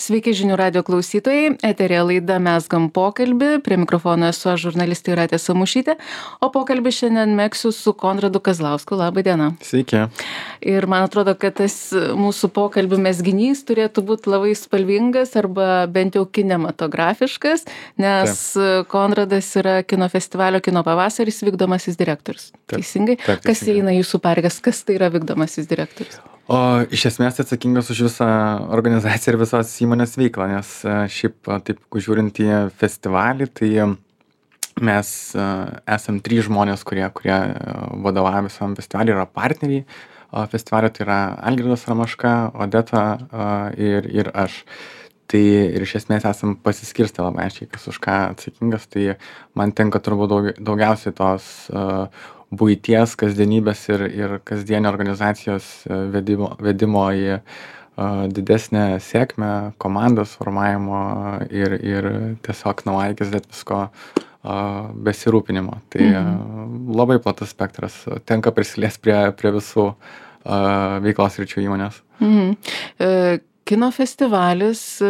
Sveiki žinių radio klausytojai, eterė laida Mezgam pokalbį, prie mikrofono esu aš žurnalistė Jūratė Samušytė, o pokalbį šiandien megsiu su Konradu Kazlausku. Labą dieną. Sveiki. Ir man atrodo, kad tas mūsų pokalbių mezginys turėtų būti labai spalvingas arba bent jau kinematografiškas, nes Konradas yra kino festivalio Kino pavasaris vykdomasis direktorius. Teisingai? Taip, kas įeina jūsų pareigas, kas tai yra vykdomasis direktorius? O iš esmės atsakingas už visą organizaciją ir visos įmonės veiklą, nes šiaip taip žiūrint į festivalį, tai mes esam 3 žmonės, kurie vadovauja visam festivaliui, yra partneriai festivalio, tai yra Algirdas Ramaška, Odeta ir aš. Tai ir iš esmės esam pasiskirstę labai aiškiai, kas už ką atsakingas, tai man tenka turbūt daugiausiai tos buities, kasdienybės ir kasdienio organizacijos vedimo į didesnę sėkmę, komandos formavimo ir tiesiog nuo A iki Z visko besirūpinimo. Tai labai platus spektras, tenka prisiliest prie visų veiklos sričių įmonės. Kino festivalis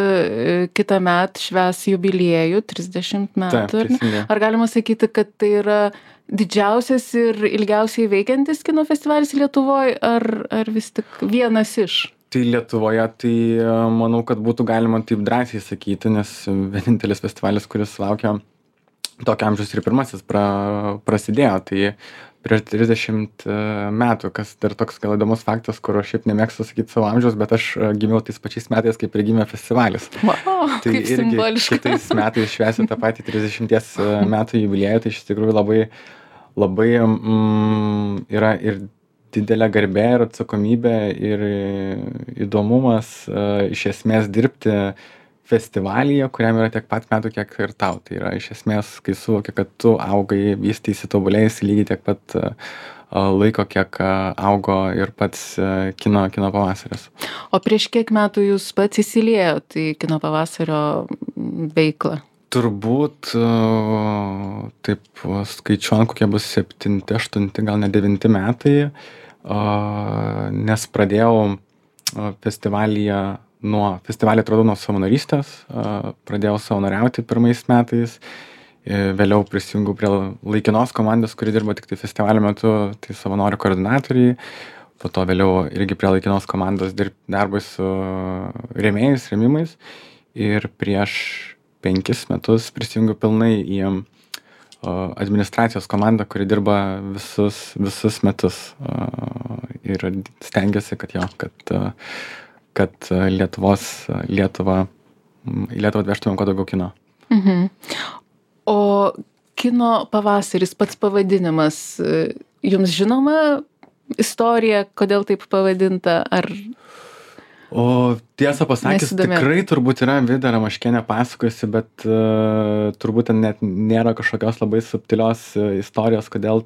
kitąmet švęs jubiliejų 30 metų. Ar galima sakyti, kad tai yra didžiausias ir ilgiausiai veikiantis kino festivalis Lietuvoje, ar vis tik vienas iš? Tai Lietuvoje, tai manau, kad būtų galima taip drąsiai sakyti, nes vienintelis festivalis, kuris laukia tokio amžiaus ir pirmasis prasidėjo. Tai prieš 30 metų, kas dar toks gal įdomus faktas, kur aš šiaip nemėgstu sakyti savo amžiaus, bet aš gimiau tais pačiais metais, kaip ir gimė festivalis. Wow, tai kaip irgi simboliška. kitais metais švęsiu tą patį 30 metų jubiliejų, tai iš tikrųjų labai yra ir didelė garbė ir atsakomybė ir įdomumas iš esmės dirbti festivalyje, kuriam yra tiek pat metų, kiek ir tau. Tai yra iš esmės, kai suvoki, kad tu augai, vystysi, tobulėjasi lygiai tiek pat laiko, kiek augo ir pats kino pavasaris. O prieš kiek metų jūs pats įsiliejot į Kino pavasario veiklą? Turbūt, taip skaičiuojant, kokie bus 7, 8, gal ne 9 metai, nes pradėjau festivalį atradau nuo savanorystės, pradėjau savanoriauti pirmais metais, vėliau prisijungiau prie laikinos komandos, kuri dirba tik tai festivalio metu, tai savanorių koordinatoriai, po to vėliau irgi prie laikinos komandos darbui su rėmimais ir prieš 5 metus prisijungiau pilnai į administracijos komandą, kuri dirba visus metus ir stengiasi, kad Lietuvą atvežtumėm kuo daugiau kino. O Kino pavasaris, pats pavadinimas, jums žinoma istorija, kodėl taip pavadinta, ar... O tiesą pasakius, tikrai turbūt yra Vida Ramaškienė pasakojusi, bet turbūt net nėra kažkokios labai subtilios istorijos, kodėl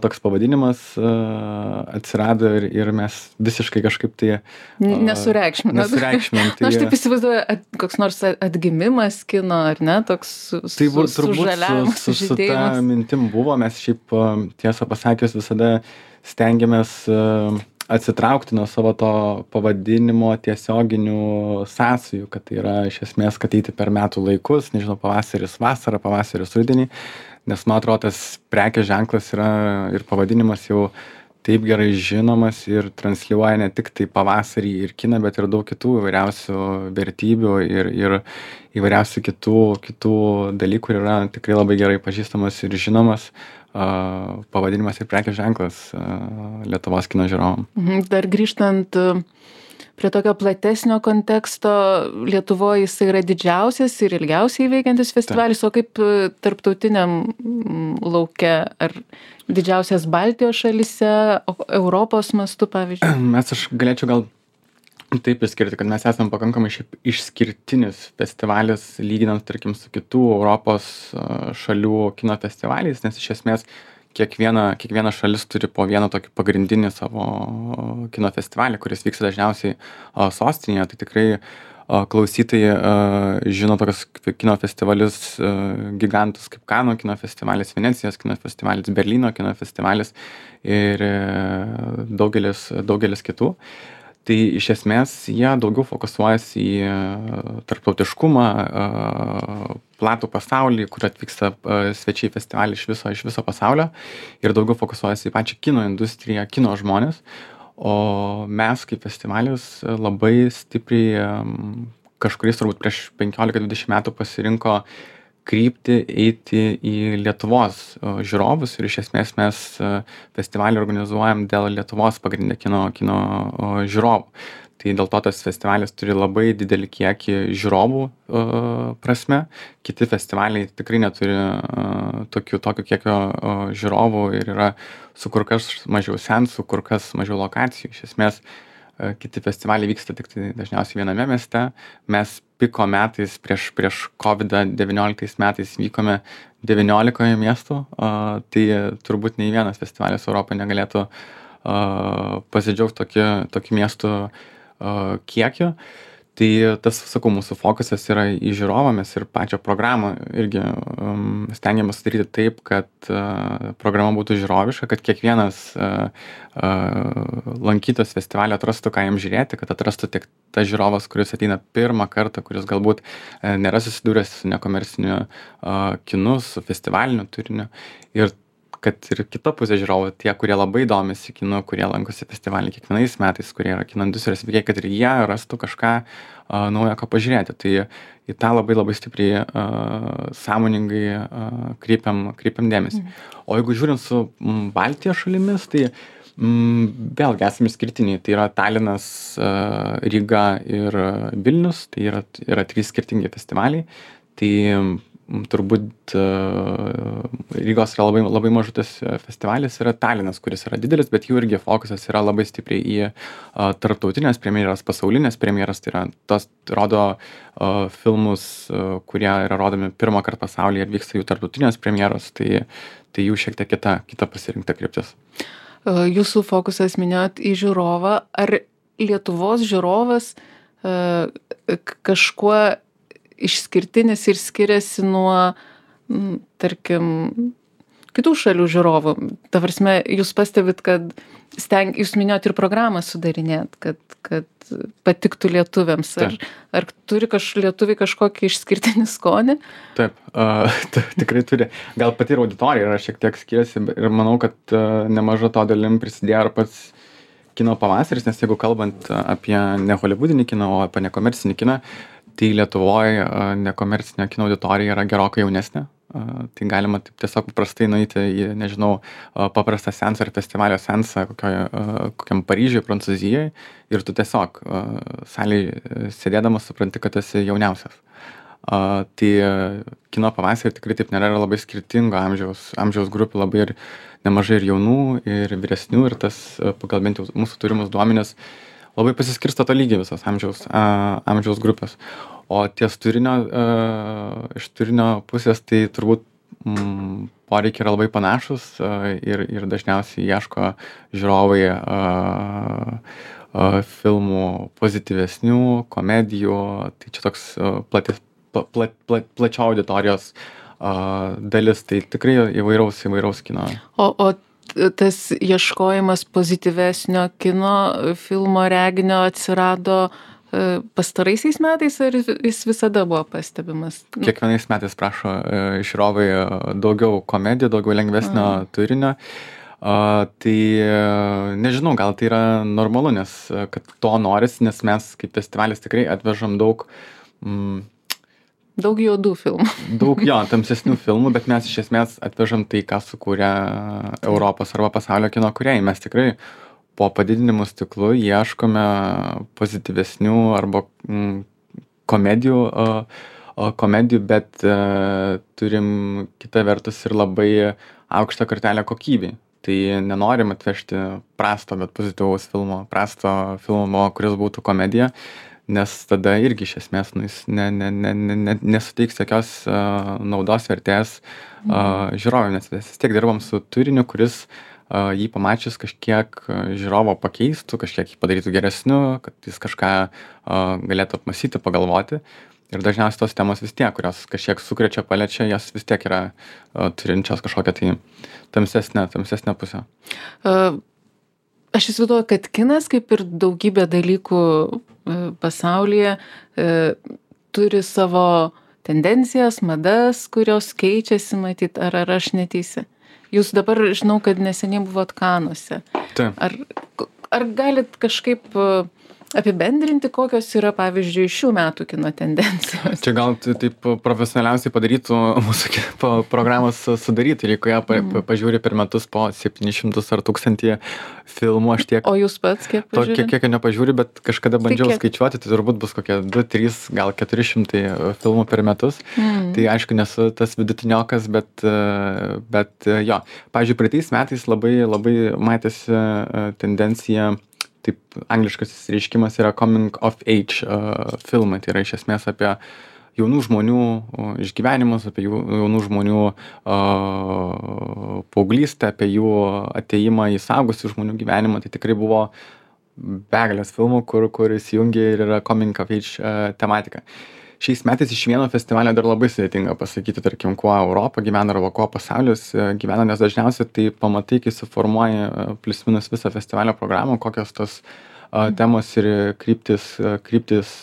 toks pavadinimas atsirado ir mes visiškai kažkaip tai nesureikšminam. Tai aš taip įsivaizduoju, koks nors atgimimas kino, ar ne, toks sužaliavimas, su ta mintim buvo, mes šiaip tiesą pasakius visada stengiamės atsitraukti nuo savo to pavadinimo tiesioginių sąsajų, kad tai yra iš esmės, kad eiti per metų laikus, nežinau, pavasaris vasara, pavasaris rudenį, nes man atrodo, tas prekės ženklas yra ir pavadinimas jau taip gerai žinomas ir transliuoja ne tik tai pavasarį ir kiną, bet ir daug kitų įvairiausių vertybių ir įvairiausių kitų dalykų, kur yra tikrai labai gerai pažįstamas ir žinomas pavadinimas ir prekės ženklas Lietuvos kino žiūrovam. Dar grįžtant prie tokio platesnio konteksto, Lietuvoje jis yra didžiausias ir ilgiausiai veikiantis festivalis, o kaip tarptautiniam lauke, ar didžiausias Baltijos šalyse, Europos mastu, pavyzdžiui? Aš galėčiau gal taip išskirti, kad mes esam pakankamai išskirtinis festivalis, lyginant, tarkim, su kitų Europos šalių kino festivaliais, nes iš esmės kiekviena šalis turi po vieną tokį pagrindinį savo kino festivalį, kuris vyksta dažniausiai sostinėje. Tai tikrai klausytojai žino tokius kino festivalius gigantus kaip Kanų kino festivalis, Venecijos kino festivalis, Berlyno kino festivalis ir daugelis kitų. Tai iš esmės jie daugiau fokusuojasi į tarptautiškumą, platų pasaulį, kur atvyksta svečiai festivalį iš viso pasaulio ir daugiau fokusuojasi į pačią kino industriją, kino žmonės. O mes kaip festivalis labai stipriai kažkuris turbūt prieš 15-20 metų pasirinko kryptį eiti į Lietuvos žiūrovus ir iš esmės mes festivalį organizuojam dėl Lietuvos pagrindinė kino žiūrovų. Tai dėl to tas festivalis turi labai didelį kiekį žiūrovų prasme. Kiti festivaliai tikrai neturi tokio kiekio žiūrovų ir yra su kur kas mažiau seansų, kur kas mažiau lokacijų. Iš esmės kiti festivaliai vyksta tik tai dažniausiai viename mieste. Mes piko metais prieš COVID-19 metais vykome 19 miestų, tai turbūt nei vienas festivalis Europoje negalėtų pasidžiaugti tokiu miestų kiekiu. Tai tas, sakau, mūsų fokusas yra į žiūrovą, mes ir pačią programą irgi stengiamės sudaryti taip, kad programa būtų žiūroviška, kad kiekvienas lankytojas festivalio atrastų, ką jam žiūrėti, kad atrastų tik tas žiūrovas, kuris ateina pirmą kartą, kuris galbūt nėra susidūręs su nekomerciniu kinu, su festivaliniu turiniu. Ir kad ir kita pusė žiūrovų, tie, kurie labai domisi kinu, kurie lankosi festivalį kiekvienais metais, kurie yra kino industrijos veikiai, kad ir jie rastų kažką naujo, ką pažiūrėti. Tai į tą labai stipriai sąmoningai kreipiam dėmesį. O jeigu žiūrint su Baltijos šalimis, tai vėlgi esame skirtiniai. Tai yra Talinas, Ryga ir Vilnius, tai yra 3 skirtingi festivaliai. Tai turbūt Rygos yra labai mažutis festivalis, yra Talinas, kuris yra didelis, bet jų irgi fokusas yra labai stipriai į tarptautinės premjeras, pasaulinės premjeras, tai yra tos rodo filmus, kurie yra rodomi pirmą kartą pasaulyje ir vyksta jų tarptautinės premjeros, tai jų šiek tiek kita pasirinkta kryptis. Jūsų fokusas minėjot į žiūrovą. Ar Lietuvos žiūrovas kažkuo išskirtinis ir skiriasi nuo, tarkim, kitų šalių žiūrovų? Ta prasme, jūs pastebit, kad jūs minėjot ir programą sudarinėt, kad patiktų lietuviams. Ar turi lietuviai kažkokį išskirtinį skonį? Taip, tikrai turi. Gal pati ir auditorija yra šiek tiek skiriasi ir manau, kad nemaža to dalim prisidėjo ir pats kino pavasaris, nes jeigu kalbant apie ne holivudinį kiną, o apie nekomercinį kiną, tai Lietuvoje nekomercinė kino auditorija yra gerokai jaunesnė. Tai galima taip tiesiog paprastai nueiti į, nežinau, paprastą seansą ar festivalio seansą kokiam Paryžiuje, Prancūzijoje ir tu tiesiog salėje sėdėdamas supranti, kad esi jauniausias. Tai kino pavasarį tikrai taip nėra, yra labai skirtingo amžiaus grupių, labai ir nemažai ir jaunų, ir vyresnių, ir tas pagal bent jau mūsų turimus duomenis labai pasiskirsto to lygiai visos amžiaus grupės. O ties iš turinio pusės tai turbūt poreikiai yra labai panašus ir dažniausiai ieško žiūrovai filmų pozityvesnių, komedijų. Tai čia toks plačio auditorijos dalis, tai tikrai įvairaus kino. O tas ieškojimas pozityvesnio kino filmo reginio atsirado pastaraisiais metais, ar jis visada buvo pastebimas? Kiekvienais metais prašo žiūrovai daugiau komedijų, daugiau lengvesnio turinio. Tai nežinau, gal tai yra normalu, nes kad to norisi, nes mes kaip festivalis tikrai atvežam daug juodų filmų. Daug tamsesnių filmų, bet mes iš esmės atvežam tai, ką sukūrė Europos arba pasaulio kino kūrėjai. Mes tikrai po padidinimu stiklu ieškome pozityvesnių arba komedijų, bet turim kita vertus ir labai aukštą kartelę kokybei. Tai nenorim atvežti prasto, bet pozityvaus filmo, kuris būtų komedija, nes tada irgi iš esmės jis nesuteiks jokios naudos vertės žiūrovui, nes vis tiek dirbam su turiniu, kuris jį pamačius kažkiek žiūrovo pakeistų, kažkiek jį padarytų geresniu, kad jis kažką galėtų apmąstyti, pagalvoti. Ir dažniausiai tos temos vis tiek, kurios kažkiek sukrečia, paliečia, jos vis tiek yra turinčios kažkokią tai tamsesnę pusę. aš įsivaizduoju, kad kinas, kaip ir daugybė dalykų pasaulyje, turi savo tendencijas, madas, kurios keičiasi, matyt, ar aš neteisi. Jūs dabar, žinau, kad neseniai buvot Kanuose. Taip. Ar galit kažkaip apibendrinti, kokios yra, pavyzdžiui, šių metų kino tendencijos? Čia gal taip profesionaliausiai padarytų mūsų programos sudarytojai, jeigu pažiūri per metus po 700 ar 1000 filmų, aš tiek... O jūs pats kiek pažiūrė? Kiek nepažiūri, bet kažkada bandžiau skaičiuoti, tai turbūt bus kokie 2, 3, gal 400 filmų per metus. Tai aišku, nesu tas vidutiniokas, bet jo. Pavyzdžiui, praeitais metais labai matėsi tendencija, taip angliškas reiškimas yra coming of age filmai, tai yra iš esmės apie jaunų žmonių išgyvenimus, apie jaunų žmonių paauglystę, apie jų atėjimą į suaugusių žmonių gyvenimą. Tai tikrai buvo begalės filmų, kur įsijungia ir yra coming of age tematika. Šiais metais iš vieno festivalio dar labai sudėtinga pasakyti, tarkim, kuo Europa gyvena arba kuo pasaulis gyvena, nes dažniausiai tai pamatai, kai suformuoji plius minus visą festivalio programą, kokios tos temos ir kryptis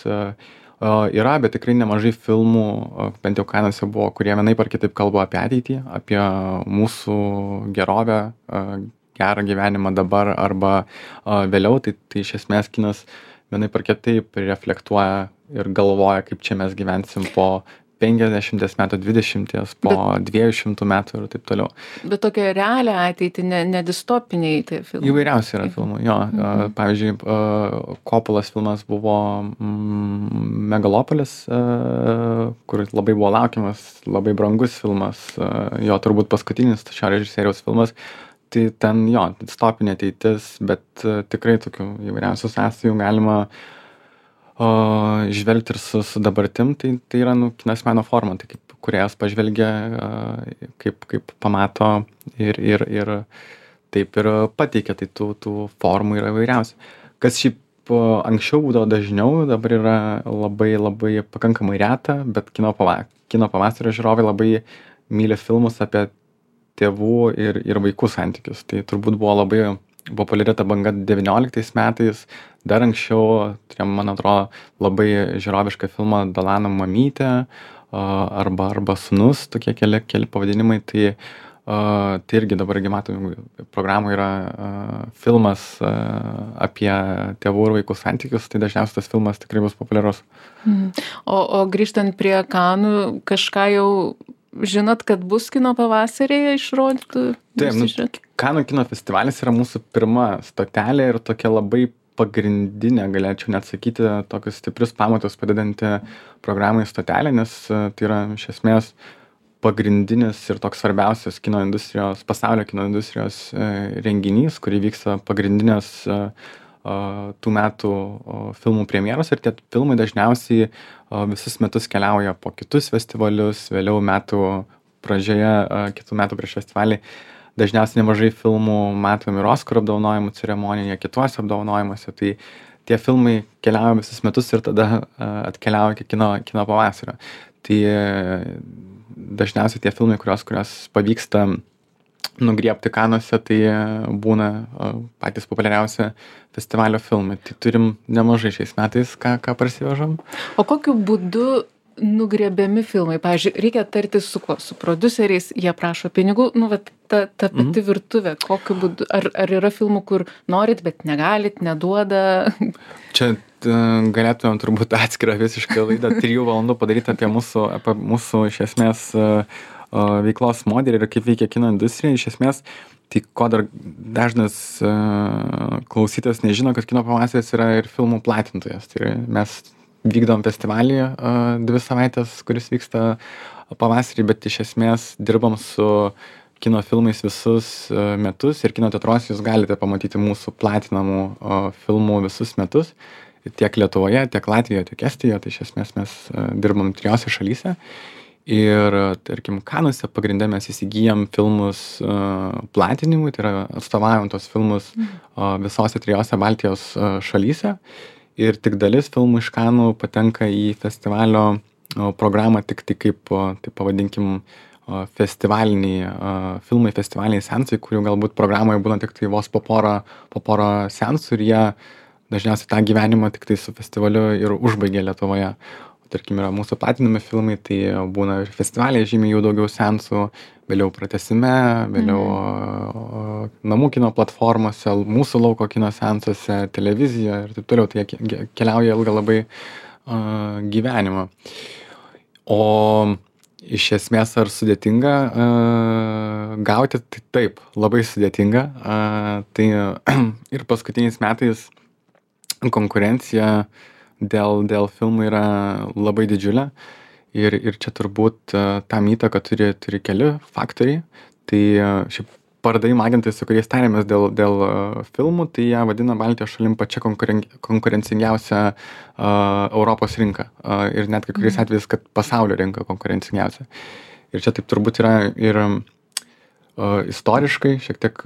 yra, bet tikrai nemažai filmų, bent jau Kanuose buvo, kurie vienaip ar kitaip kalba apie ateitį, apie mūsų gerovę, gerą gyvenimą dabar arba vėliau, tai iš esmės kinas vienaip ar kitaip reflektuoja ir galvoja, kaip čia mes gyvensim po 50 metų, 20, po 200 metų ir taip toliau. Bet tokia realią ateitį, ne distopiniai tai filmai. Įvairiausiai yra filmų, jo. Pavyzdžiui, Kopulos filmas buvo Megalopolis, kur labai buvo laukiamas, labai brangus filmas, jo turbūt paskutinis šio režisieriaus filmas. Tai ten jo, distopinė ateitis, bet tikrai tokių įvairiausių sąsajų galima žvelgti ir su dabartim, tai yra kinas meno forma, tai kaip kūrėjas pažvelgia, kaip pamato ir taip ir pateikia, tai tų formų yra įvairiausių. Kas šiaip anksčiau būdavo dažniau, dabar yra labai pakankamai reta, bet kino pavasario žiūrovai labai myli filmus apie tėvų ir vaikų santykius. Tai turbūt buvo labai populiari ta banga 19 metais, dar anksčiau, turėjom, man atrodo, labai žiūrovišką filmą Dalano mamytė arba Sūnus, tokie keli pavadinimai, tai irgi dabar matom, programų yra filmas apie tėvų ir vaikų santykius, tai dažniausiai tas filmas tikrai bus populiarus. O grįžtant prie Kanų, kažką jau žinot, kad bus kino pavasarėje išrodytų? Taip, Kanų kino festivalis yra mūsų pirma stotelė ir tokia labai pagrindinė, galėčiau net sakyti, tokius stiprius pamatus padedanti programai stotelė, nes tai yra iš esmės pagrindinis ir toks svarbiausias pasaulio kino industrijos renginys, kurį vyksta pagrindinės tų metų filmų premjeros ir tie filmai dažniausiai visus metus keliauja po kitus festivalius, vėliau metų pradžioje, kitų metų prieš festivalį. Dažniausiai nemažai filmų matom ir Oskarų apdovanojimų ceremonijoje, kituose apdovanojimuose, tai tie filmai keliauja visus metus ir tada atkeliauja iki kino pavasario. Tai dažniausiai tie filmai, kurios pavyksta nugriebti Kanuose, tai būna patys populiariausi festivalio filmai. Tai turim nemažai šiais metais, ką parsivežam. O kokiu būdu nugriebiami filmai? Pavyzdžiui, reikia tartis su kuo? Su prodiuseriais, jie prašo pinigų, ta pati virtuvė, kokiu būdu? Ar yra filmų, kur norit, bet negalit, neduoda? Čia galėtumėm turbūt atskirą visiškai laidą 3 valandų padaryti apie mūsų iš esmės veiklos modelį ir kaip veikia kino industrija. Iš esmės, tai ko dar dažnas klausytojas nežino, kad kino pavasaris yra ir filmų platintojas. Tai mes vykdom festivalį 2 savaitės, kuris vyksta pavasarį, bet iš esmės dirbam su kino filmais visus metus ir kino teatruose jūs galite pamatyti mūsų platinamų filmų visus metus, tiek Lietuvoje, tiek Latvijoje, tiek Estijoje, tai iš esmės mes dirbam 3 šalyse. Ir, tarkim, Kanuose pagrinde mes įsigijam filmus platinimui, tai yra atstovaujam tos filmus visose 3 Baltijos šalyse. Ir tik dalis filmų iš Kanų patenka į festivalio programą tik kaip, taip pavadinkim, filmai, festivaliniai seansai, kurių galbūt programoje būna tik tai vos po porą seansų ir jie dažniausiai tą gyvenimą tik tai su festivaliu ir užbaigia Lietuvoje. Tarkim, yra mūsų platinami filmai, tai būna ir festivaliai žymiai jų daugiau seansų, vėliau pratęsime, vėliau namų kino platformose, mūsų lauko kino seansuose, televizijoje ir taip toliau. Tai jie keliauja ilgą labai gyvenimą. O iš esmės ar sudėtinga gauti? Tai taip, labai sudėtinga. Tai ir paskutiniais metais konkurencija dėl filmų yra labai didžiulė. Ir čia turbūt tam įtaką turi keli faktoriai. Tai šiaip pardavimo agentai, su kuriais tarėmės dėl filmų, tai jie vadina Baltijos šalim pačia konkurencingiausia Europos rinka. Ir net kai kuriais atvejais, kad pasaulio rinka konkurencingiausia. Ir čia taip turbūt yra ir istoriškai šiek tiek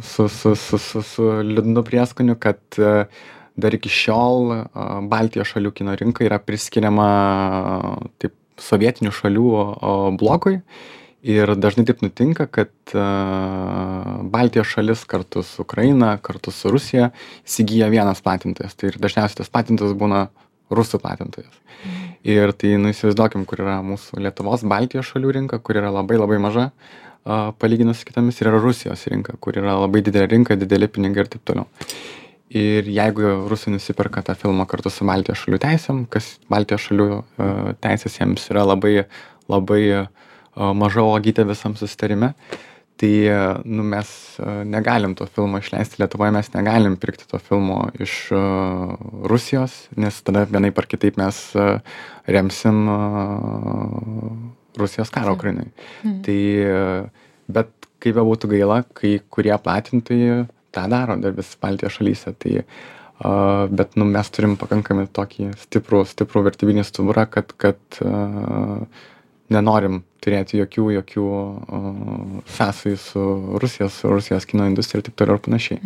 su liūdnu prieskoniu, kad dar iki šiol Baltijos šalių kino rinka yra priskiriama taip sovietinių šalių blokui. Ir dažnai taip nutinka, kad Baltijos šalis kartu su Ukraina, kartu su Rusija įsigyja vienas platintojas. Tai ir dažniausiai tas platintojas būna rusų platintojas. Ir tai, įsivaizduokim, kur yra mūsų Lietuvos, Baltijos šalių rinka, kur yra labai labai maža, palyginus su kitomis, ir yra Rusijos rinka, kur yra labai didelė rinka, dideli pinigai ir taip toliau. Ir jeigu rusai nusiperka tą filmą kartu su Baltijos šalių teisėm, kas Baltijos šalių teisės jiems yra labai, labai maža uogytė visam susitarime, tai mes negalim to filmo išleisti Lietuvoje, mes negalim pirkti to filmo iš Rusijos, nes tada vienaip ar kitaip mes remsim Rusijos karą Ukrainai. Tai, bet kaip bebūtų gaila, kai kurie platintojai tą daro dar vis Baltijos šalyse, tai bet mes turim pakankamai tokį stiprų vertybinį stuburą, kad nenorim turėti jokių sąsajų su Rusijos kino industrija ir taip toliau ir panašiai.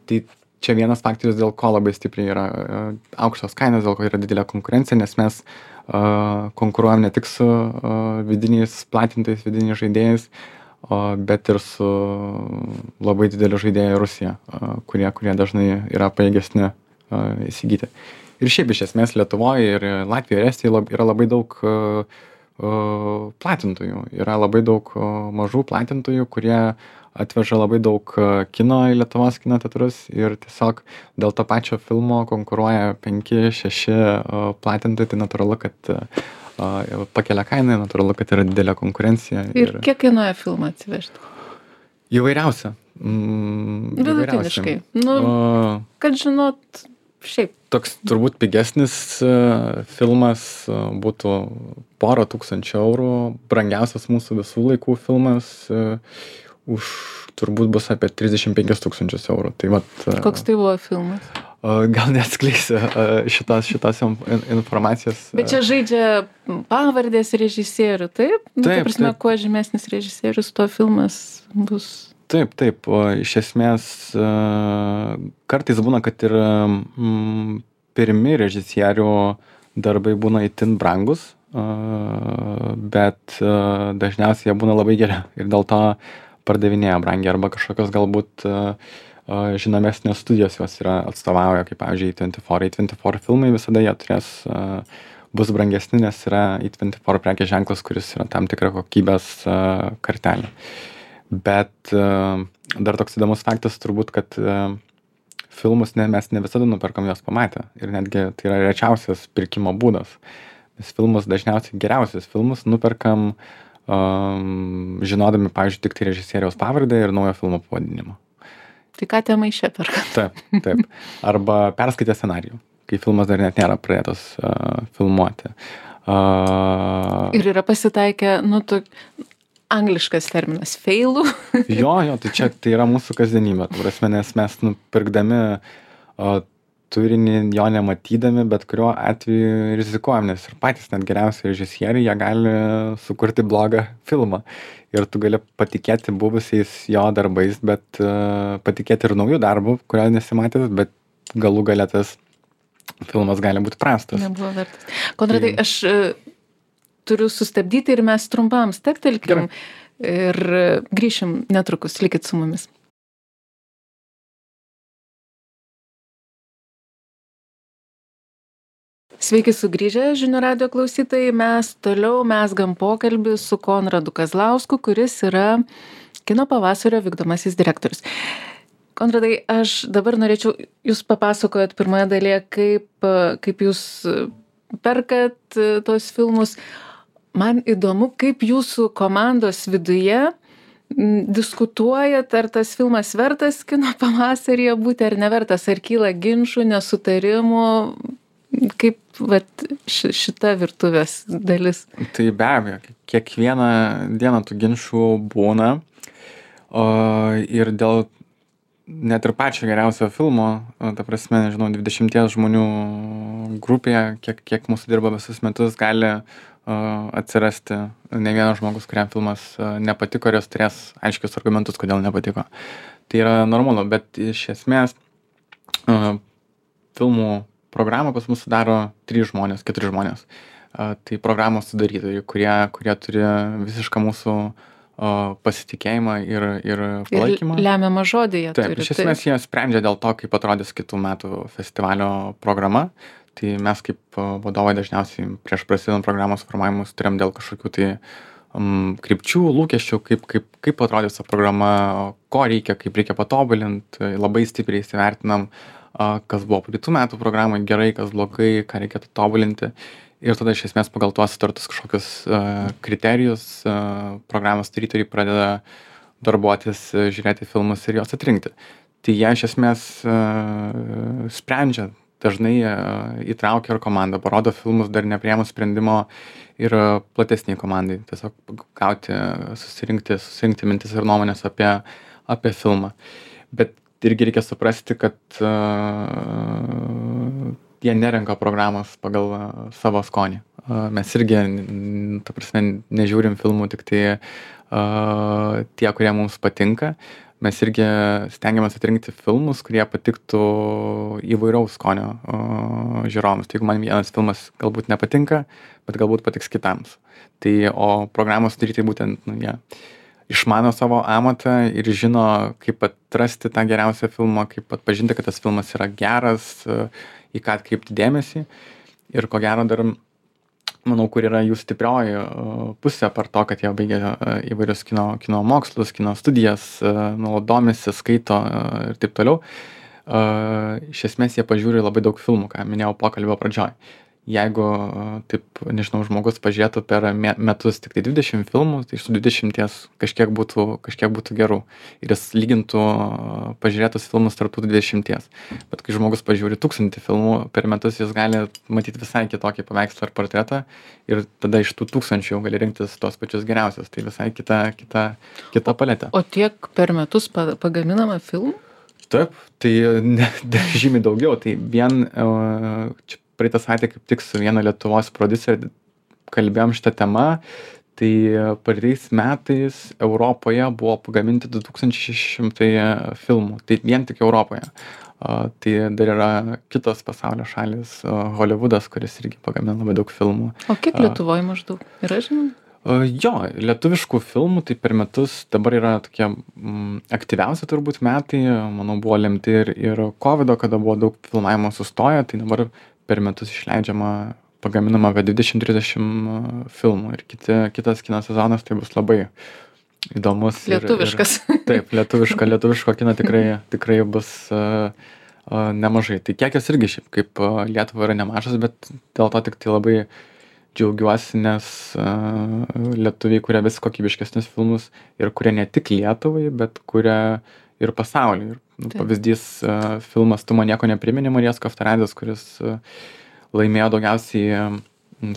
Tai čia vienas faktorius, dėl ko labai stipriai yra aukštos kainos, dėl ko yra didelė konkurencija, nes mes konkuruojam ne tik su vidiniais platintojais, vidiniais žaidėjais, bet ir su labai dideliu žaidėju Rusija, kurie dažnai yra pajėgesni įsigyti. Ir šiaip iš esmės Lietuvoje ir Latvijoje ir Estijoje yra labai daug platintojų. Yra labai daug mažų platintojų, kurie atveža labai daug kino į Lietuvos kino teatrus ir tiesiog dėl to pačio filmo konkuruoja 5-6 platintojai, tai natūralu, kad pakelia kainą, natūralu, kad yra didelė konkurencija. Ir kiek kainuoja filmą atsivežti? Įvairiausia. Vidutiniškai. Kad žinot, šiaip. Toks turbūt pigesnis filmas būtų 1,000 eurų. Brangiausias mūsų visų laikų filmas už turbūt bus apie 35 000 eurų. Tai vat, koks tai buvo filmas? Gal neatskleisiu šitos informacijos. Bet čia žaidžia pavardės režisierių, taip? Taip. Ta prasme, kuo žymesnis režisierius, to filmas bus. Taip. Iš esmės kartais būna, kad ir pirmi režisierių darbai būna itin brangus, bet dažniausiai jie būna labai geri ir dėl to pardavinėja brangiai arba kažkokios galbūt žinomesnės studijos jos yra atstovauja, kaip pavyzdžiui A24 filmai visada jie bus brangesni, nes yra A24 prekės ženklas, kuris yra tam tikra kokybės kartelė. Bet dar toks įdomus faktas turbūt, kad filmus mes ne visada nuperkam juos pamatę ir netgi tai yra rečiausias pirkimo būdas. Nes filmus dažniausiai geriausius filmus nuperkam žinodami, pavyzdžiui, tik tai režisieriaus pavardę ir naujo filmo pavadinimą. Tai ką tie maišė perka? Taip. Arba perskaitę scenarijų, kai filmas dar net nėra pradėtas filmuoti. Ir yra pasitaikę, Angliškas terminas failų. Jo, tai yra mūsų kasdienybė. Nes mes pirkdami turinį, jo nematydami, bet kuriuo atveju rizikuojam, nes ir patys net geriausi režisieriai, jie gali sukurti blogą filmą. Ir tu gali patikėti buvusiais jo darbais, bet patikėti ir naujų darbų, kurio nesimatęs, bet galų gale tas filmas gali būti prastas. Nebuvo vertas. Konradai, aš turiu sustabdyti ir mes trumpam stabtelkim Gerai. ir grįšim netrukus. Likit su mumis. Sveiki sugrįžę, žinių radio klausytojai. Mes toliau mezgam pokalbį su Konradu Kazlausku, kuris yra Kino pavasario vykdomasis direktorius. Konradai, aš dabar norėčiau, jūs papasakojot pirmoje dalyje, kaip jūs perkat tos filmus. Man įdomu, kaip jūsų komandos viduje diskutuojat, ar tas filmas vertas Kino pavasaryje būti ar nevertas, ar kyla ginčų, nesutarimų, kaip šita virtuvės dalis. Tai be abejo, kiekvieną dieną tų ginčų būna. Ir dėl net ir pačio geriausio filmo, ta prasme, nežinau, 20 žmonių grupėje, kiek mūsų dirba visus metus, gali atsirasti ne vienas žmogus, kuriam filmas nepatiko ir jis turės aiškius argumentus, kodėl nepatiko. Tai yra normalu, bet iš esmės filmų programą pas mus sudaro 3 žmonės, 4 žmonės. Tai programos sudarytojai, kurie turi visišką mūsų pasitikėjimą ir palaikymą. Ir lemiamą žodį jie turi. Taip, iš esmės jie sprendžia dėl to, kaip atrodys kitų metų festivalio programa. Tai mes kaip vadovai dažniausiai prieš prasidedant programos formavimus turėjom dėl kažkokių tai krypčių, lūkesčių, kaip atrodys ta programa, ko reikia, kaip reikia patobulinti. Labai stipriai įsivertinam, kas buvo praeitų metų programai gerai, kas blogai, ką reikėtų tobulinti. Ir tada iš esmės pagal tuos sutartus kažkokius kriterijus programos sudarytojai pradeda darbuotis, žiūrėti filmus ir juos atrinkti. Tai jie iš esmės sprendžia, dažnai įtraukia ir komandą, parodo filmus dar nepriėmus sprendimo ir platesniai komandai. Tiesiog gauti, susirinkti mintis ir nuomonės apie filmą. Bet irgi reikia suprasti, kad jie nerenka programos pagal savo skonį. Mes irgi, ta prasme, nežiūrim filmų tik tai tie, kurie mums patinka. Mes irgi stengiamės atrinkti filmus, kurie patiktų įvairaus skonio žiūrovams. Tai jeigu man vienas filmas galbūt nepatinka, bet galbūt patiks kitams. Tai, o programos sudarytojai būtent, jie išmano savo amatą ir žino, kaip atrasti tą geriausią filmą, kaip atpažinti, kad tas filmas yra geras, į ką atkreipti dėmesį. Ir ko gero dar, manau, kur yra jų stiprioji pusė par to, kad jie baigia įvairius kino mokslus, kino studijas, nuolat domisi, skaito ir taip toliau. Iš esmės jie pažiūri labai daug filmų, ką minėjau pokalbio pradžioj. Jeigu, taip, nežinau, žmogus pažiūrėtų per metus tik tai 20 filmų, tai iš tų 20 kažkiek būtų gerų. Ir jis lygintų pažiūrėtus filmus tarp tų 20. Bet kai žmogus pažiūri 1000 filmų per metus, jis gali matyti visai kitokį paveikslą ar portretą. Ir tada iš tų 1000 jau gali rinktis tos pačius geriausius. Tai visai kita paletė. O tiek per metus pagaminama filmų? Taip, tai žymiai daugiau. Tai vien čia praeitą savaitę kaip tik su viena Lietuvos prodiuseriu kalbėjom šitą temą, tai praeitais metais Europoje buvo pagaminti 2600 filmų, tai vien tik Europoje. Tai dar yra kitos pasaulio šalis, Hollywoodas, kuris irgi pagamina labai daug filmų. O kiek Lietuvoje maždaug yra, žinoma? Jo, lietuviškų filmų tai per metus dabar yra tokie aktyviausi turbūt metai, manau, buvo lemti ir COVID, kada buvo daug filmavimo sustoję, tai dabar per metus išleidžiama, pagaminama apie 20-30 filmų ir kitas kino sezonas tai bus labai įdomus. Lietuviškas. Taip, lietuviško kino tikrai bus nemažai. Tai kiekis irgi šiaip kaip Lietuva yra nemažas, bet dėl to tik tai labai džiaugiuosi, nes lietuviai kuria vis kokybiškesnius filmus ir kuria ne tik Lietuvai, bet kuria ir pasauliui. Pavyzdys filmas Tu man nieko neprimeni, Marijos Kaftaradzės, kuris laimėjo daugiausiai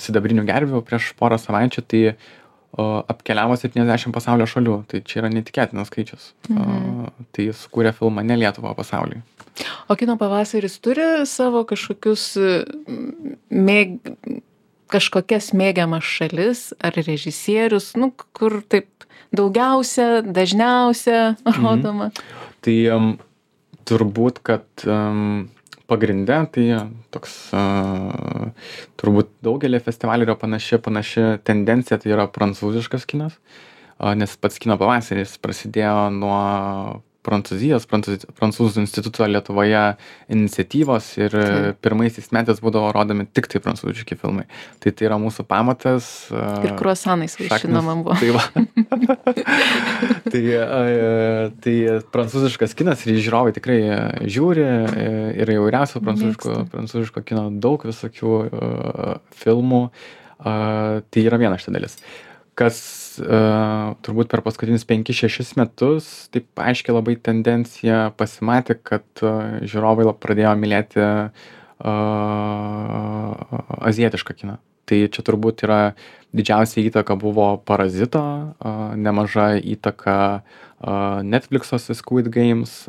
sidabrinių gervių prieš porą savaičių, tai apkeliavo 70 pasaulio šalių. Tai čia yra netikėtinas skaičius. Tai sukūrė filmą ne Lietuvo, o pasauliui. O Kino pavasaris turi savo kažkokius kažkokias mėgiamas šalis ar režisierius, kur taip daugiausia, dažniausia rodoma? Tai turbūt, kad pagrinde tai toks turbūt daugelį festivalių yra panaši tendencija, tai yra prancūziškas kinas, nes pats kino pavasaris prasidėjo nuo Prancūzų instituto Lietuvoje iniciatyvos ir pirmaisiais metais būdavo rodomi tik tai prancūziški filmai. Tai yra mūsų pamatas. Ir kruasanais vaišinama buvo. Tai va. tai prancūziškas kinas ir žiūrovai tikrai žiūri ir įvairiausių prancūziško kino daug visokių filmų. Tai yra viena šita dalis. Kas turbūt per paskutinius 5-6 metus taip aiškiai labai tendencija pasimatė, kad žiūrovai pradėjo mylėti azijietišką kiną. Tai čia turbūt yra didžiausia įtaka buvo Parazito, nemaža įtaka Netflix'o Squid Games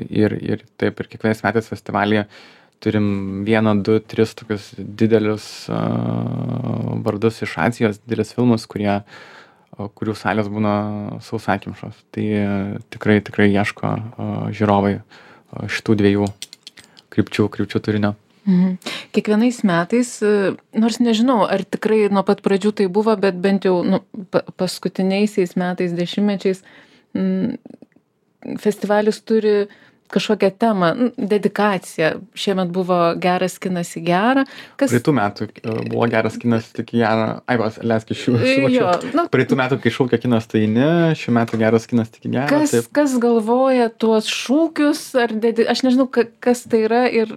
ir taip ir kiekvienais metais festivalyje turim 1, 2, 3 tokius didelius vardus iš Azijos, didelius filmus, kurių salės būna sausakimšos. Tai tikrai ieško žiūrovai šitų 2 krypčių turinio. Kiekvienais metais, nors nežinau, ar tikrai nuo pat pradžių tai buvo, bet bent jau paskutiniaisiais metais, dešimtmečiais, festivalis turi kažkokią temą, dedikaciją. Šiemet buvo Geras kinas į gerą. Praeitų metų buvo Geras kinas tik į gerą. Leisk iš jų. Praeitų metų, kai šaukia kinas, tai ne. Šių metų Geras kinas tik į gerą. Kas galvoja tuos šūkius? Aš nežinau, kas tai yra ir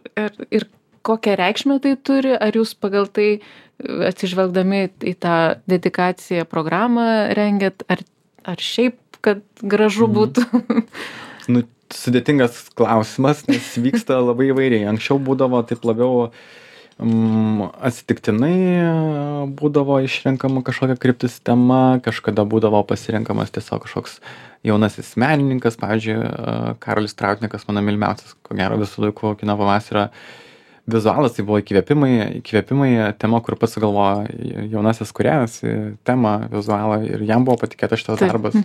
kokią reikšmę tai turi. Ar jūs pagal tai atsižvelgdami į tą dedikaciją programą rengiat? Ar šiaip, kad gražu būtų? Sudėtingas klausimas, nes vyksta labai įvairiai. Anksčiau būdavo taip labiau atsitiktinai būdavo išrenkama kažkokia kryptis tema, kažkada būdavo pasirenkamas tiesiog kažkoks jaunasis menininkas, pavyzdžiui, Karolis Trautnikas, mano mylimiausias, ko gero visų laikų kino pavasario vizualas, tai buvo įkvėpimai tema, kur pats sugalvojo jaunasis kūrėjas, temą, vizualą ir jam buvo patikėtas šitas darbas.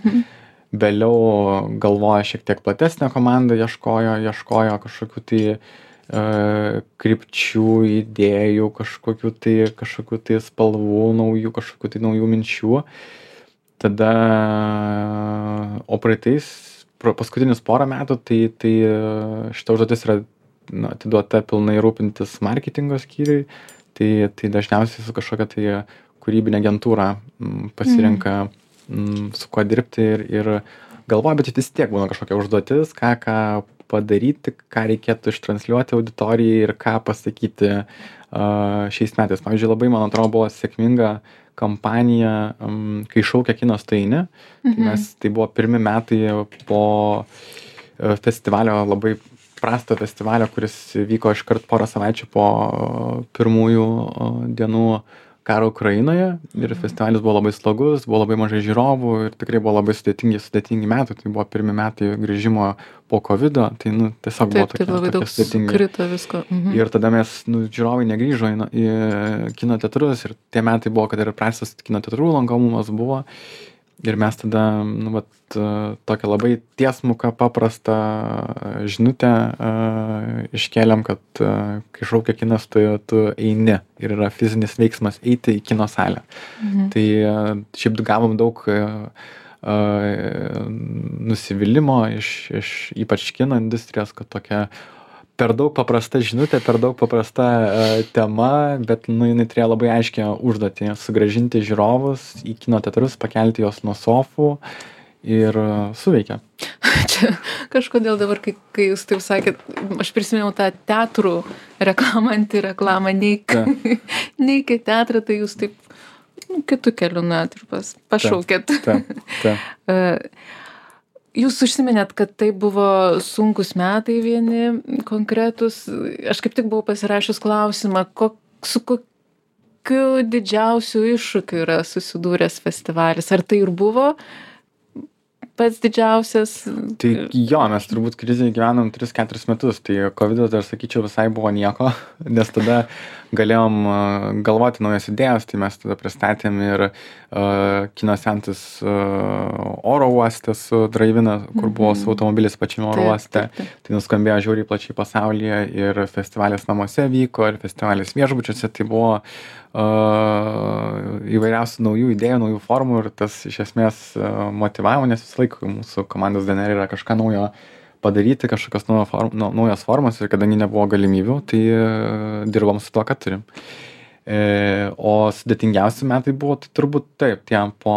Vėliau galvoja šiek tiek platesnė komanda, ieškojo kažkokių tai krypčių, idėjų, kažkokių tai spalvų naujų, kažkokių tai naujų minčių. Tada, o paskutinius porą metų, tai šita užduotis yra atiduota pilnai rūpintis marketingo skyriui, tai dažniausiai su kažkokia tai kūrybinė agentūra pasirenka su kuo dirbti ir galvoja, bet vis tiek būna kažkokia užduotis, ką padaryti, ką reikėtų ištransliuoti auditorijai ir ką pasakyti šiais metais. Pavyzdžiui, labai, man atrodo, buvo sėkminga kampanija, kai šaukia kinas tai ne. Tai buvo pirmi metai po festivalio, labai prasto festivalio, kuris vyko iškart porą savaičių po pirmųjų dienų karo Ukrainoje ir festivalis buvo labai slogus, buvo labai mažai žiūrovų ir tikrai buvo labai sudėtingi metai. Tai buvo pirmi metai grįžimo po COVID-o, tai tiesiog buvo tokie sudėtingi. Krito visko. Ir tada mes, žiūrovai negrįžo į kino teatrus ir tie metai buvo, kad ir prastas kino teatrų lankomumas buvo. Ir mes tada, tokią labai tiesmuką, paprastą žinutę iškėlėm, kad kai šaukia kinas, tu eini ir yra fizinis veiksmas eiti į kino salę. Tai šiaip gavom daug nusivylimo iš ypač kino industrijos, kad tokia per daug paprasta žinutė, per daug paprasta tema, bet jinai turėjo labai aiškią užduotį sugrąžinti žiūrovus į kino teatrus, pakelti juos nuo sofų ir suveikia. Čia kažkodėl dabar, kai jūs taip sakėt, aš prisiminiau tą teatrų reklamą, antireklamą, neik į teatrą, tai jūs taip kitų kelių net ir pašaukėt. Jūs užsiminėt, kad tai buvo sunkus metai vieni konkretus. Aš kaip tik buvau pasirašius klausimą, su kokiu didžiausiu iššūkiu yra susidūręs festivalis. Ar tai ir buvo pats didžiausias? Tai jo, mes turbūt krizėje gyvenom 3-4 metus, tai COVID dar sakyčiau visai buvo nieko, nes tada galėjom galvoti naujas idėjas, tai mes tada pristatėm ir kino seansus oro uoste su Drive-in, kur buvo su automobilis pačiame oro uoste. Tai nuskambėjo žiauriai plačiai pasaulyje ir festivalis namuose vyko, ir festivalis viešbučiuose, tai buvo įvairiausių naujų idėjų, naujų formų ir tas iš esmės motyvavo, nes visą laiką mūsų komandos DNR yra kažką naujo padaryti, kažkokios naujos formos ir kadangi nebuvo galimybių, tai dirbom su to, ką turim. O sudėtingiausi metai buvo tai turbūt taip, tie po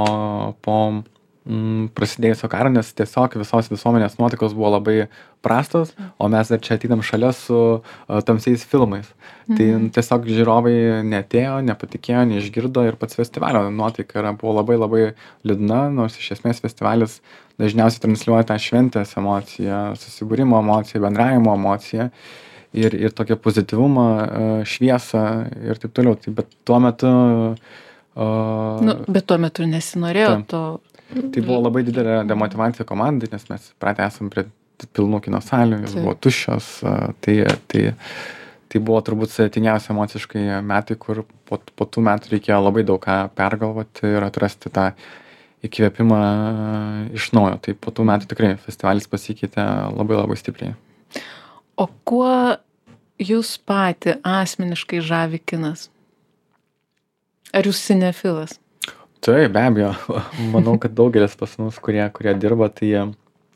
prasidėjusio karo, nes tiesiog visos visuomenės nuotaikos buvo labai prastos, o mes dar čia ateinam šalia su tamsiais filmais. Tai tiesiog žiūrovai neatėjo, nepatikėjo, neišgirdo ir pats festivalio nuotaika buvo labai labai liūdna, nors iš esmės festivalis dažniausiai transliuoja tą šventės emociją, susibūrimo emociją, bendravimo emociją ir tokią pozityvumą, šviesą ir taip toliau. Tai, bet tuo metu... Bet tuo metu nesinorėjo to... Tai buvo labai didelė demotyvacija komandai, nes mes pratę esam prie pilnų kino salių, jos buvo tuščios, tai buvo turbūt sudėtingiausia emociškai metai, kur po tų metų reikėjo labai daug ką pergalvoti ir atrasti tą įkvėpimą iš naujo. Tai po tų metų tikrai festivalis pasikeitė labai labai stipriai. O kuo jūs patį asmeniškai žavi kinas? Ar jūs cinefilas? Taip, be abejo. Manau, kad daugelis pas mus, kurie dirba, tai...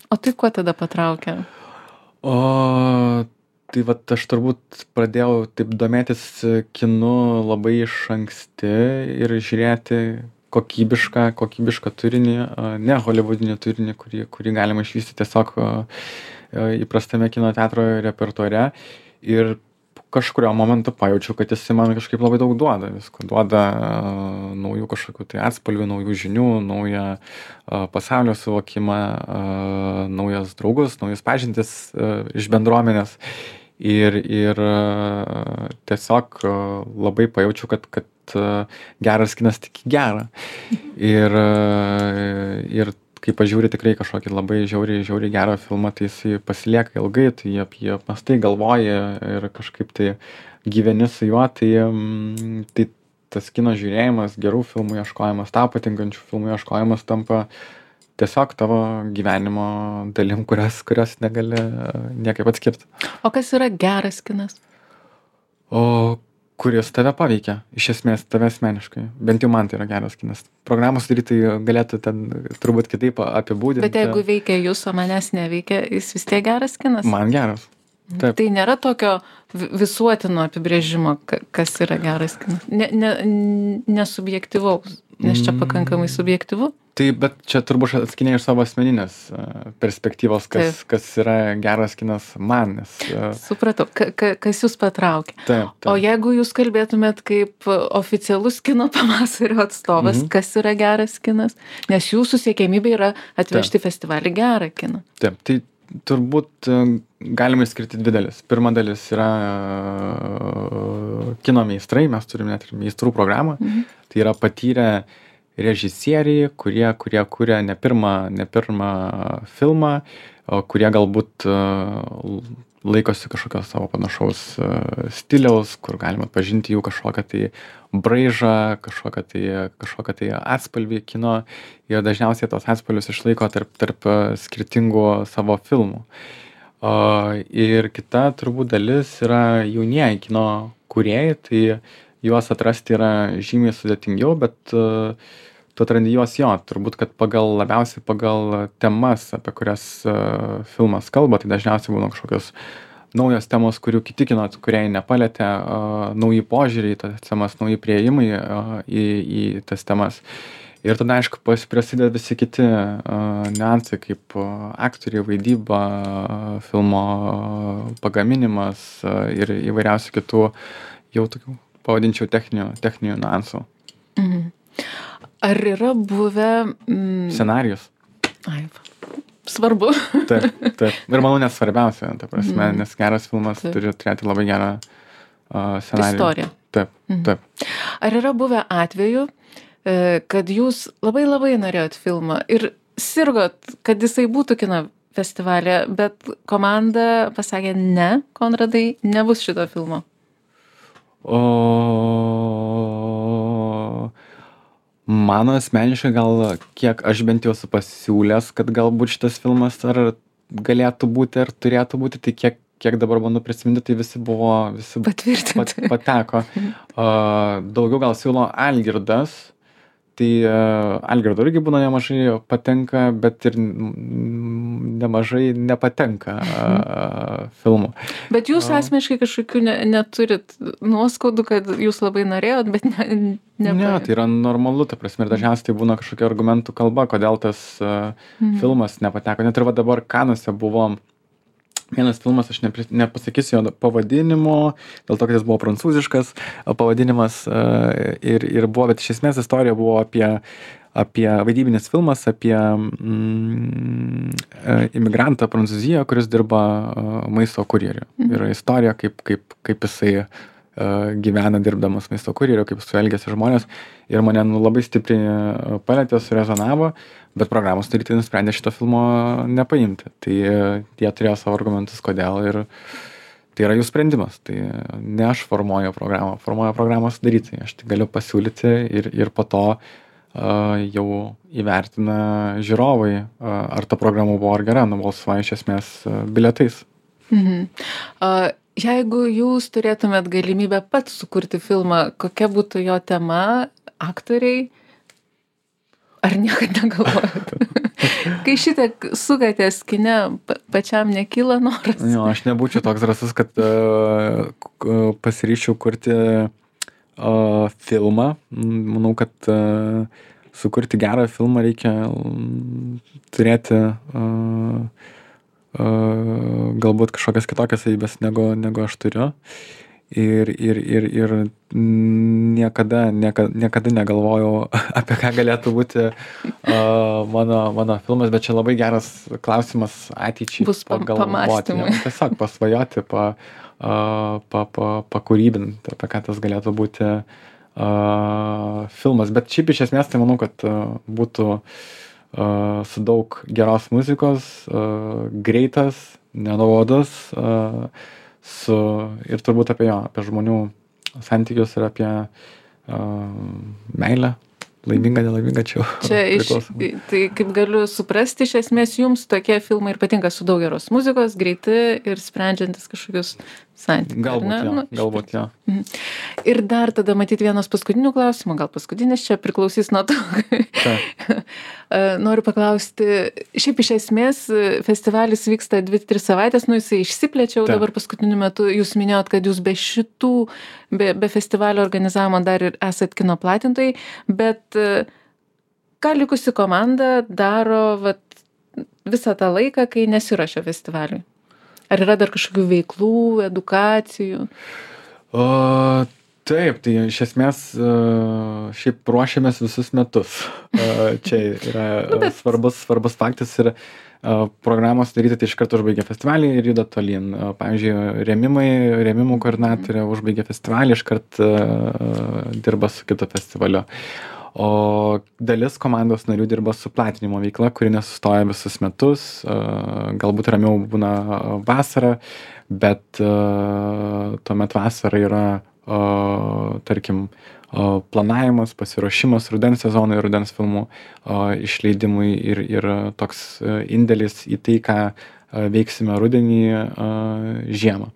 O tai kuo tada patraukia? Tai vat aš turbūt pradėjau taip domėtis kinu labai iš anksti ir žiūrėti kokybišką turinį, ne hollywoodinį turinį, kurį galima išvysti tiesiog įprastame kino teatro repertuare. Ir kažkurio momentu pajaučiau, kad jis man kažkaip labai daug duoda. Visko duoda naujų kažkokių tai atspalvių, naujų žinių, naują pasaulio suvokimą, naujas draugus, naujus pažintis iš bendruomenės. Ir tiesiog labai pajaučiau, kad geras kinas tik gerą. Ir kai pažiūri tikrai kažkokį labai žiauriai gerą filmą, tai jisai pasilieka ilgai, tai apie apmastai galvoji ir kažkaip tai gyveni su juo, tai tas kino žiūrėjimas, gerų filmų ieškojimas, tau patinkančių filmų ieškojimas tampa tiesiog tavo gyvenimo dalim, kurios negali niekaip atskirti. O kas yra geras kinas? Kuris tave paveikia, iš esmės tave asmeniškai. Bent jau man tai yra geras kinas. Programos sudarytojai galėtų ten turbūt kitaip apibūdinti. Bet jeigu veikia jūs, o manęs neveikia, jis vis tiek geras kinas? Man geras. Taip. Tai nėra tokio visuotino apibrėžimo, kas yra geras kinas. Nesubjektyvaus, nes čia pakankamai subjektyvu. Tai, bet čia turbūt atskiniai iš savo asmeninės perspektyvos, kas yra geras kinas man. Supratau, kas jūs patraukia. Taip. O jeigu jūs kalbėtumėt kaip oficialus kino pavasario atstovas, kas yra geras kinas? Nes jūsų siekiamybė yra atvežti festivalį gerą kiną. Taip, tai turbūt galima išskirti dvi dalis. Pirma dalis yra kino meistrai, mes turime net ir meistrų programą. Tai yra patyrę režisieriai, kurie kuria ne pirmą filmą, kurie galbūt laikosi kažkokio savo panašaus stiliaus, kur galima atpažinti jų kažkokią tai braižą, kažkokią tai atspalvį kino. Ir dažniausiai tos atspalvius išlaiko tarp skirtingų savo filmų. Ir kita turbūt dalis yra jaunieji kino kūrėjai, tai juos atrasti yra žymiai sudėtingiau, bet tu atrandi juos turbūt, kad labiausiai pagal temas, apie kurias filmas kalba, tai dažniausiai būna kažkokios naujos temos, kurių kiti kino kūrėjai nepalietė, nauji požiūriai, tas temas, nauji priėjimai į tas temas. Ir tada, aišku, prasideda visi kiti niuansai, kaip aktoriai, vaidyba, filmo pagaminimas ir įvairiausių kitų jau tokių, pavadinčiau, techninių niuansų. Ar yra buvę... Scenarijus. Svarbu. Taip. Ir manau, net svarbiausia, ta prasme, nes geras filmas turi turėti labai gerą scenarijų. Istoriją. Taip. Ar yra buvę atvejų, kad jūs labai labai norėjot filmą ir sirgot, kad jisai būtų kino festivalyje, bet komanda pasakė ne, Konradai, nebus šito filmo. Mano asmeniškai gal, kiek aš bent jau esu pasiūlęs, kad galbūt šitas filmas ar galėtų būti, ar turėtų būti, tai kiek dabar bandau prisiminti, tai visi patvirtinti. Pateko. Daugiau gal siūlo Algirdas, tai Algirdo irgi būna nemažai patenka, bet ir nemažai nepatenka filmų. Bet jūs asmeniškai kažkokių neturit nuoskaudų, kad jūs labai norėjot, bet ne, tai yra normalu, ta prasme, ir dažniausiai tai būna kažkokia argumentų kalba, kodėl tas filmas nepateko. Net ir va dabar Kanuose buvo vienas filmas, aš nepasakysiu jo pavadinimo, dėl to, kad jis buvo prancūziškas pavadinimas ir buvo, bet iš esmės istorija buvo apie vaidybinis filmas, apie imigrantą Prancūzijoje, kuris dirba maisto kurjeriu. Yra istorija, kaip jisai gyvena dirbdamas maisto kurjeriu, kaip su elgiasi žmonės. Ir mane labai stipriai palietė, surezonavo, bet programos sudarytojai nusprendė šito filmo nepaimti. Tai jie turėjo savo argumentus, kodėl, ir tai yra jų sprendimas. Tai ne aš formuoju programą sudarytojai. Aš tai galiu pasiūlyti ir po to jau įvertina žiūrovai, ar ta programa buvo ar gera, nubalsuoja iš esmės bilietais. Jeigu jūs turėtumėt galimybę pats sukurti filmą, kokia būtų jo tema, aktoriai, ar niekad negalvojat? Kai šitiek sukatės kine, pačiam nekyla noras? Jo, aš nebūčiau toks drąsus, kad pasiryščiau kurti filmą. Manau, kad sukurti gerą filmą reikia turėti galbūt kažkokias kitokias savybės, negu aš turiu. Ir niekada negalvojau, apie ką galėtų būti mano filmas, bet čia labai geras klausimas ateičiai. Bus pamąstymai. Tiesiog pasvajoti, pakūrybinti, apie ką tas galėtų būti filmas. Bet šiaip iš esmės tai manau, kad būtų su daug geros muzikos, greitas, nenuobodus, ir turbūt apie žmonių santykius ir apie meilę, laimingą, nelaimingą čia. Tai kaip galiu suprasti, iš esmės jums tokie filmai ir patinka su daug geros muzikos, greiti ir sprendžiantis kažkokius santykius. Galbūt, jo. Ir dar tada matyti vienas paskutinių klausimų, gal paskutinis čia priklausys nuo to. Noriu paklausti, šiaip iš esmės festivalis vyksta 2-3 savaitės, jisai išsiplėčiau dabar paskutiniu metu, jūs minėjot, kad jūs be festivalio organizavimo dar ir esat kino platintojai, bet ką likusi komanda daro visą tą laiką, kai nesiruošia festivaliui? Ar yra dar kažkokių veiklų, edukacijų? Taip, tai iš esmės šiaip ruošiamės visus metus. Čia yra svarbus faktas ir programos daryti, tai iš karto užbaigia festivalį ir juda tolyn. Pavyzdžiui, rėmimų koordinatorė užbaigia festivalį, iš karto dirba su kito festivaliu. O dalis komandos narių dirba su platinimo veikla, kuri nesustoja visus metus, galbūt ramiau būna vasarą, bet tuomet vasara yra, tarkim, planavimas, pasiruošimas rudens sezonui, rudens filmų išleidimui ir toks indėlis į tai, ką veiksime rudenį, žiemą.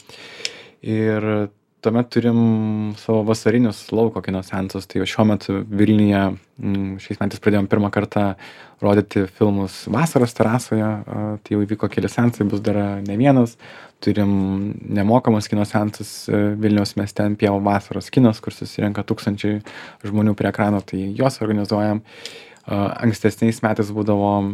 Ir tuomet turim savo vasarinius lauko kino seansus, tai šiuo metu Vilniuje šiais metais pradėjom pirmą kartą rodyti filmus vasaros terasoje, tai jau įvyko keli seansai, bus dar ne vienas. Turim nemokamus kino seansus Vilniaus mieste ant Pievų vasaros kinos, kur susirenka 1000 žmonių prie ekrano, tai juos organizuojam. Ankstesniais metais būdavo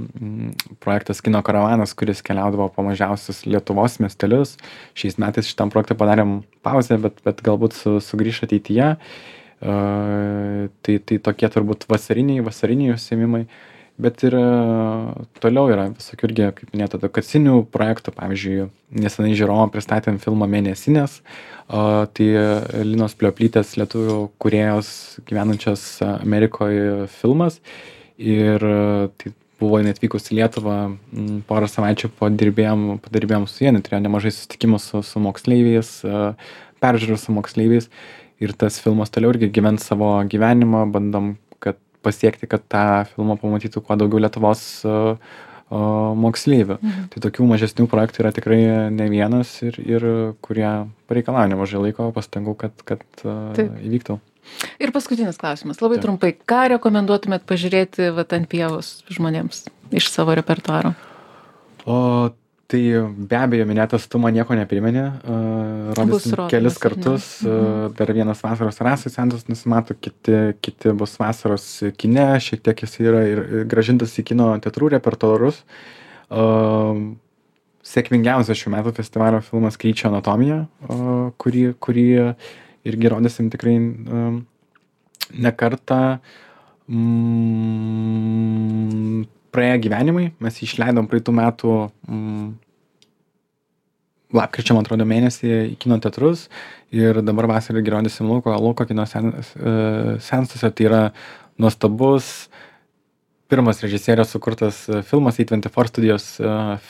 projektas Kino karavanas, kuris keliaudavo po mažiausius Lietuvos miestelius. Šiais metais šitam projektui padarėm pauzę, bet galbūt sugrįš ateityje. Tai tokie turbūt vasariniai užsiėmimai. Bet ir toliau yra visokių irgi, kaip minėta, edukacinių projektų. Pavyzdžiui, nesenai žiūrovom pristatėm filmą Mėnesinės. Tai Linos Plioplytės, lietuvių kūrėjos gyvenančios Amerikoje filmas. Ir tai buvo jinai atvykus į Lietuvą, porą savaičių padirbėjom su jie, turėjo nemažai susitikimų su moksleiviais, peržiūrų su moksleiviais ir tas filmas toliau irgi gyvens savo gyvenimą, bandom pasiekti, kad tą filmą pamatytų kuo daugiau Lietuvos moksleivių. Tai tokių mažesnių projektų yra tikrai ne vienas ir kurie pareikalauja nemažai laiko, pastangų, kad įvyktų. Ir paskutinis klausimas, labai trumpai, ką rekomenduotumėt pažiūrėti ant pievos žmonėms iš savo repertuaro? Tai be abejo, minėtas Tu man nieko neprimeni, rodysim kelis kartus, dar vienas vasaros rasai seansas nusimato, kiti bus vasaros kine, šiek tiek jis yra ir grąžintas į kino teatrų repertuarus. Sėkmingiausias šių metų festivalio filmas Kryčio anatomija, kurį irgi rodysim tikrai ne kartą. Praėję gyvenimai, mes jį išleidom praeitų metų lapkričio, man atrodo, mėnesį į kino teatrus ir dabar vasarą irgi rodysim Lauko kino seansuose. Tai yra nuostabus pirmas režisierės sukurtas filmas, A24 studijos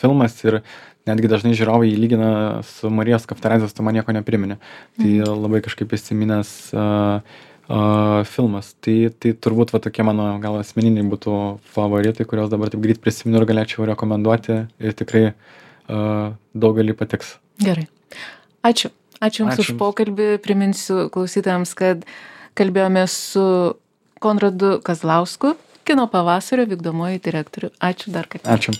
filmas ir netgi dažnai žiūrovai jį lygina su Marijos Kaftaradzės Tu man nieko neprimeni. Tai labai kažkaip įsiminęs filmas. Tai turbūt tokie mano gal asmeniniai būtų favoritai, kuriuos dabar taip greit prisimenu ir galėčiau rekomenduoti ir tikrai daugelį patiks. Gerai. Ačiū. Ačiū Jums už pokalbį. Priminsiu klausytojams, kad kalbėjome su Konradu Kazlausku, Kino pavasario vykdomuoju direktoriu. Ačiū dar kartą. Ačiū.